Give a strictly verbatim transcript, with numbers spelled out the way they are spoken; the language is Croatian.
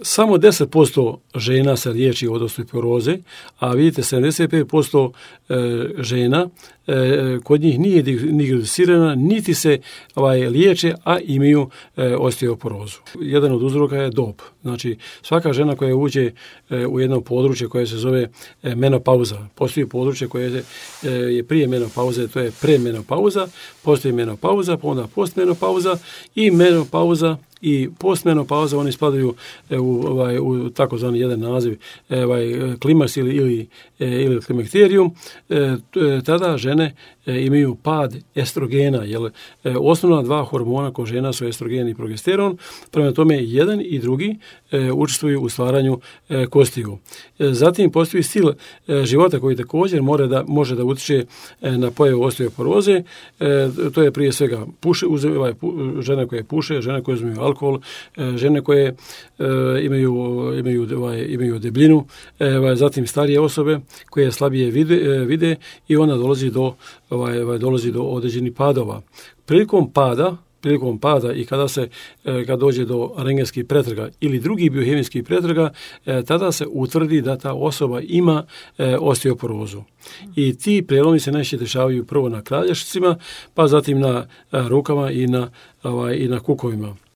samo deset posto žena se liječi od osteoporoze, a vidite sedamdeset pet posto žena kod njih nije diagnosticirana, niti se ovaj, liječe, a imaju osteoporozu. Jedan od uzroka je dob. Znači, svaka žena koja uđe u jedno područje koje se zove menopauza, postoji područje koje je prije menopauze, to je premenopauza, postoji menopauza, pa onda postmenopauza i menopauza i postmenopauza, oni spadaju u, ovaj, u takozvani jedan naziv ovaj, klimaks ili, ili, ili klimakterijum. E, tada žene imaju pad estrogena, jer osnovna dva hormona kod žena su estrogen i progesteron, prema tome jedan i drugi e, učestvuju u stvaranju e, kostiju. E, zatim postoji stil e, života koji također more da, može da utiče e, na pojavu osteoporoze, e, to je prije svega puše, uze, ovaj, pu, žene koje puše, žene koje uzimaju alkohol, e, žene koje e, imaju, imaju, ovaj, imaju debljinu, e, ovaj, zatim starije osobe koje slabije vide, e, vide i onda dolazi do Ovaj, ovaj, dolazi do određenih padova. Prilikom pada, prilikom pada i kada se e, kad dođe do rentgenskih pretraga ili drugih biohemijskih pretraga, e, tada se utvrdi da ta osoba ima e, osteoporozu. I ti prelomi se najčešće dešavaju prvo na kralješcima, pa zatim na a, rukama i na, ovaj, i na kukovima.